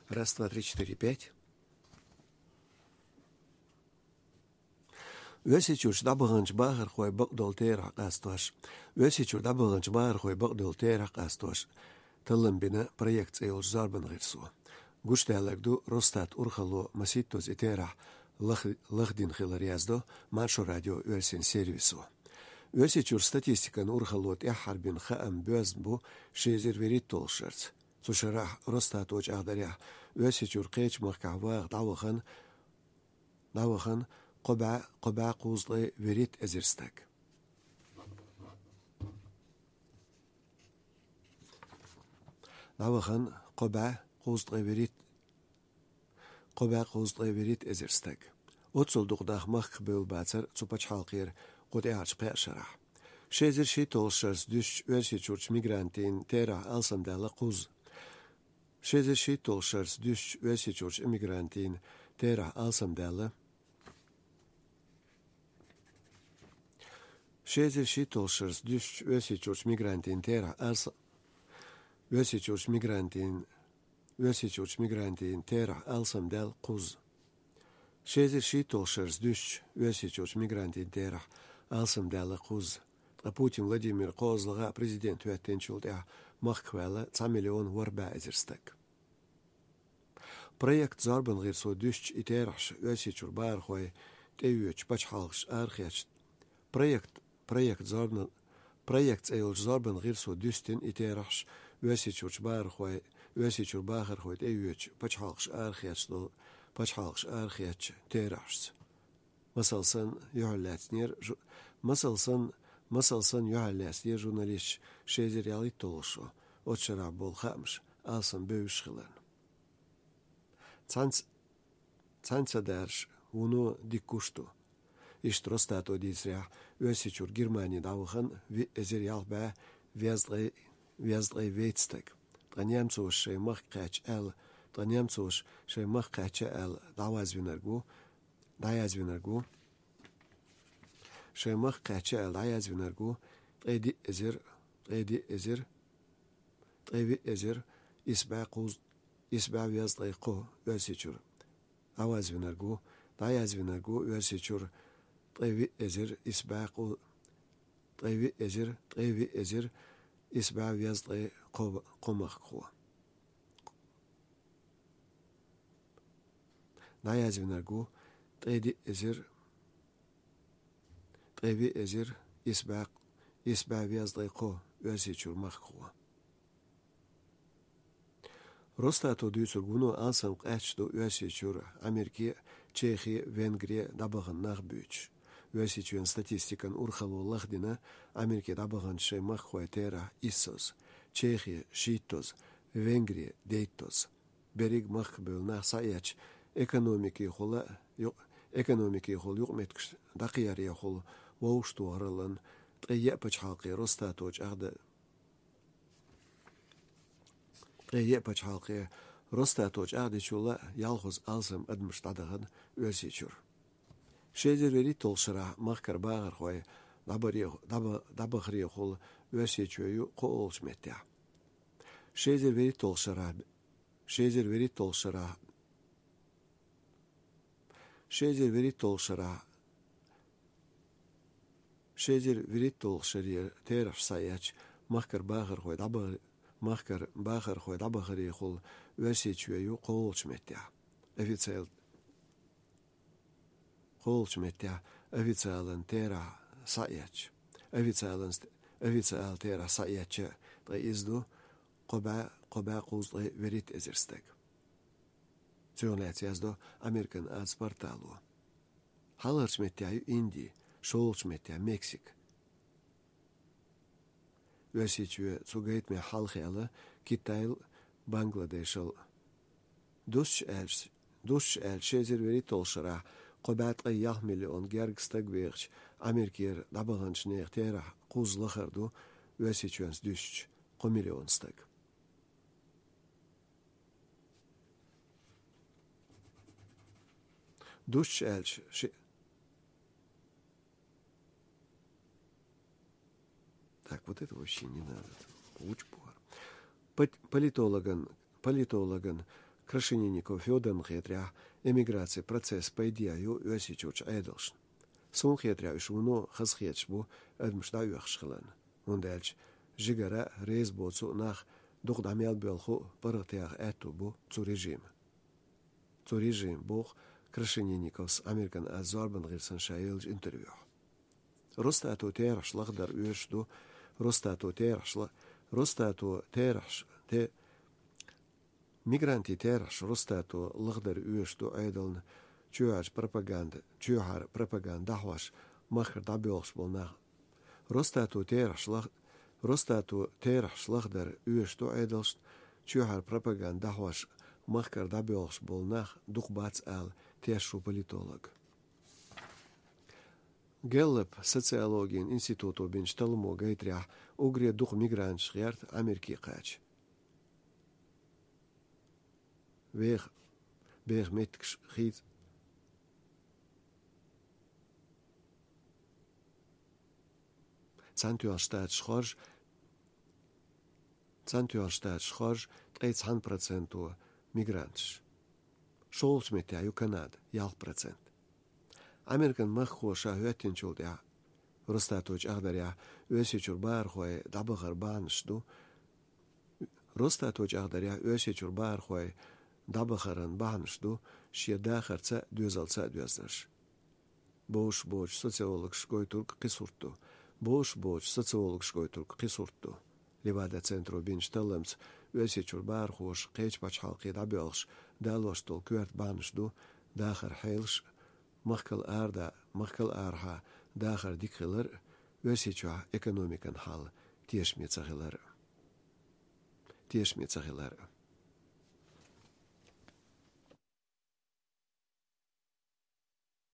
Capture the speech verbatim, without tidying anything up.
Раз, два, три, четыре, пять. Оьрсийчуьрчу дӀабаханчу бахархойн бакъдолу терахь къастош. Оьрсийчуьра дӀабаханчу бахархойн бакъдолу терахь къастош таллам бина проект цӀе йолчу зорбан гӀирсо. Гучудаьлларг ду Росстат урхалло масийттаза и терахь лах-, лахдина хилар, яздо Маршо радион оьрсийн сервисо. Оьрсийчуьра статистикан урхалло тӀаьххьара бина хаам боьзна бу ши эзар вуьрхӀитталгӀачу шарца. Цу шарахь Росстато чӀагӀдарехь, Оьрсийчуьра кхечу махкахь ваха дӀавахана, дӀавахана кхо бӀе, кхо бӀе кхузткъе вуьрхӀитта эзар стаг. ДӀавахана кхо бӀе кхузткъе вуьрхӀитта, кхо бӀе кхузткъе вуьрхӀитта эзар стаг. Оццул дукха нах махках бевлла бацара цу пачхьалкхера кху тӀаьхьарчу пхеа шарахь. Ши эзар шийтталгӀачу шарца дуьстича Оьрсийчуьрчу мигрантийн терахь алсамдаьлла кхузза. Ши эзар шийтталгӀачу шарца дуьстича Оьрсийчуьрчу иммигрантийн терахь алсамдаьлла. Ши эзар шийтталгӀачу шарца дуьстича Оьрсийчуьрчу мигрантийн терахь алса-, Оьрсийчуьрчу мигрантийн, Оьрсийчуьрчу мигрантийн терахь алсамдаьлла кхузза. Ши эзар шийтталгӀачу шарца дуьстича Оьрсийчуьрчу мигрантийн терахь алсамдаьлла кхузза. Ткъа Путин Владимир кхозлагӀа президент хӀоьттинчул тӀаьхьа махках ваьлла цхьа миллион ворхӀ бӀе эзар стаг. Проект зорбан гӀирсо дуьстича и терахьаш Оьрсийчуьра бахархой тӀеоьцучу пачхьалкхашна арахецна. Проект, проект зорбан, проект цӀе йолчу зорбан гӀирсо дуьстина и терахьаш Оьрсийчуьрчу бахархой, Оьрсийчуьра бахархой тӀеоьцучу пачхьалкхашна арахецна долу, пачхьалкхашна арахецначу терахьашца. Масал санна, юьхьарлаьцнера жу-, масал санна, масал санна, юьхьарлаьцнера журналисташ ши эзар ялхитталгӀачу шо, оцу шарахь болу хаамаш алсамбевзаш хиларна. Цхьаьнц-, цхьаьнца дарш вуно дика гуш ду. Иштта Росстато дийцарехь, Оьрсийчуьра Германи дӀавахана виъ эзар ялх бӀе везткъе, везткъе вейтта стаг. Ткъа немцоша шайн махка кхаьчча аьлла, ткъа немцоша шайн махка кхаьчча аьлла дӀаязвинарг ву, дӀаязвинарг ву. Шайн махка кхаьчча аьлла дӀаязвинарг ву ткъе диъ эзар, ткъе диъ эзар, ткъе виъ эзар исс бӀе кхузткъе, исс бӀе везткъе кхо Оьрсийчуьра. ДӀаязвинарг ву, дӀаязвинарг ву Оьрсийчуьра ткъе виъ эзар исс бӀе кху-, ткъе виъ эзар, ткъе виъ эзар исс бӀе везткъе кхо, кхо махкахо. ДӀаязвинарг ву ткъе диъ эзар, ткъе виъ эзар исс бӀе, исс бӀе везткъе кхо Оьрсийчуьра махкахо. Росстато дуьйцург вуно алсам къаьсташ ду Оьрсийчуьра, Америке, Чехе, Венгре дӀабахана нах буьйцуш. Оьрсийчоьнан статистикан урхалло лахдина Америке дӀабаханчу шайн махкахой терахь иссаза, Чехе шийттаза, Венгре дейттаза. Берриг махках бевлла нах схьаэцча, экономикехула юкъ-, экономикехула юкъаметтигаш дӀакхерарехула вовшахтохараллан ткъе еа пачхьалкхе Росстато чӀагӀда-, ткъе еа пачхьалкхе Росстато чӀагӀдечул а ялхазза алсам адамаш дӀадахана Оьрсийчуьра. Ши эзар вуьрхӀитталгӀачу шарахь махкара бахархой дӀабаре-, дӀаба-, дӀабахарехула Оьрсийчоь ю кхоалгӀачу меттехь. Ши эзар вуьрхӀитталгӀачу шарахь, ши эзар вуьрхӀитталгӀачу шарахь, ши эзар вуьрхӀитталгӀачу шарахь, ши эзар вуьрхӀитталгӀачу шарера терахьаш схьаэцча, махкара бахархой дӀаба-, махкара бахархой дӀабахарехула Оьрсийчоь ю кхоалгӀачу меттехь. Официал-, кхоалгӀачу меттехь официалан терахь схьаэцча. Официалан ст-, официал терахь схьаэцча, ткъа иза ду кхо бӀе, кхо бӀе кхузткъе вуьрхӀитта эзар стаг. Цунах лаьцна яздо Американ аз портало. Хьалхарчу меттехь ю Инди, шолгӀачу меттехь Мексика. Оьрсийчоь цу гайтамехь хьалха яьлла Китайла, Бангладешал. Дусташ аьлча, дусташ аьлча, ши эзар вуьрхӀитталгӀачу шарахь кхо бӀе ткъе ялх миллион гергга стаг вехачу Америкера дӀабаханчу нехан терахь кхузза лахара ду Оьрсийчоьнца дуьстича кхо миллион стаг. Дусташ аьлча, ши-, Так, вот это вообще не надо. Учпор. Пот-, политологан, политологан Крашенинников Фёдорна хетарехь, эмиграцин процесс пайде ю Оьрсийчуьрчу Ӏедалшна. Суна хетарехь, уьш вуно хазахеташ бу адамаш дӀаоьхуш хиларна, хӀунда аьлча жигара а, реза боцу а нах дукха дӀа мел боьлху а паргӀатъяха аьтту бу цу режима. Цу режима боху Крашенинниковс Американ аз зорбан гӀирсана ша еллачу интервьюхь. Росстато терахьаш лахдар оьшуш ду, Росстато терахьаш ла-, Росстато терахьаш те-, мигрантийн терахьаш Росстато лахдар оьшуш ду Ӏедална чоьхьарчу пропаганда, чоьхьара пропаганда дӀахьош махкара дӀабоьлхуш болу нах. Росстато терахьаш лах-, Росстато терахьаш лахдар оьшуш ду Ӏедалшна чоьхьара пропаганда дӀахьош махкара дӀабоьлхуш болу нах дукха бац ала тешаш ву политолог. Гэллап социологин институто бинчу талламо гайтарехь, уггаре дукха мигранташ гӀерта Америке кхача. Веха, беха меттигаш хийца. Цхьаьнатоьхна Штаташ хоржу, Цхьаьнатоьхна Штаташ хоржу ткъе цхьана проценто мигранташ. ШолгӀачу меттехь ю Канада, ялх процент. Американ махкахо ша хӀоьттинчул тӀаьхьа Росстато чӀагӀдарехь, Оьрсийчуьра бахархой дӀабахар бахьанаш ду. Росстато чӀагӀдарехь, Оьрсийчуьра бахархой дӀабахаран бахьанаш ду шен дахарца а, доьзалца а доьзнарш. Бовш боцу социологаш гойтург кхин сурт ду. Бовш боцу социологаш гойтург кхин сурт ду. Левада-центро бинчу талламца, Оьрсийчуьра бахархоша кхечу пачхьалкхе дӀабоьлхуш далош долу коьрта бахьанаш ду дахар хьелаш а, махкал арада-, махкал арахьа дахар дика хилар а, Оьрсийчохь экономикан хьал тешаме ца хилар а. Тешаме ца хилар а.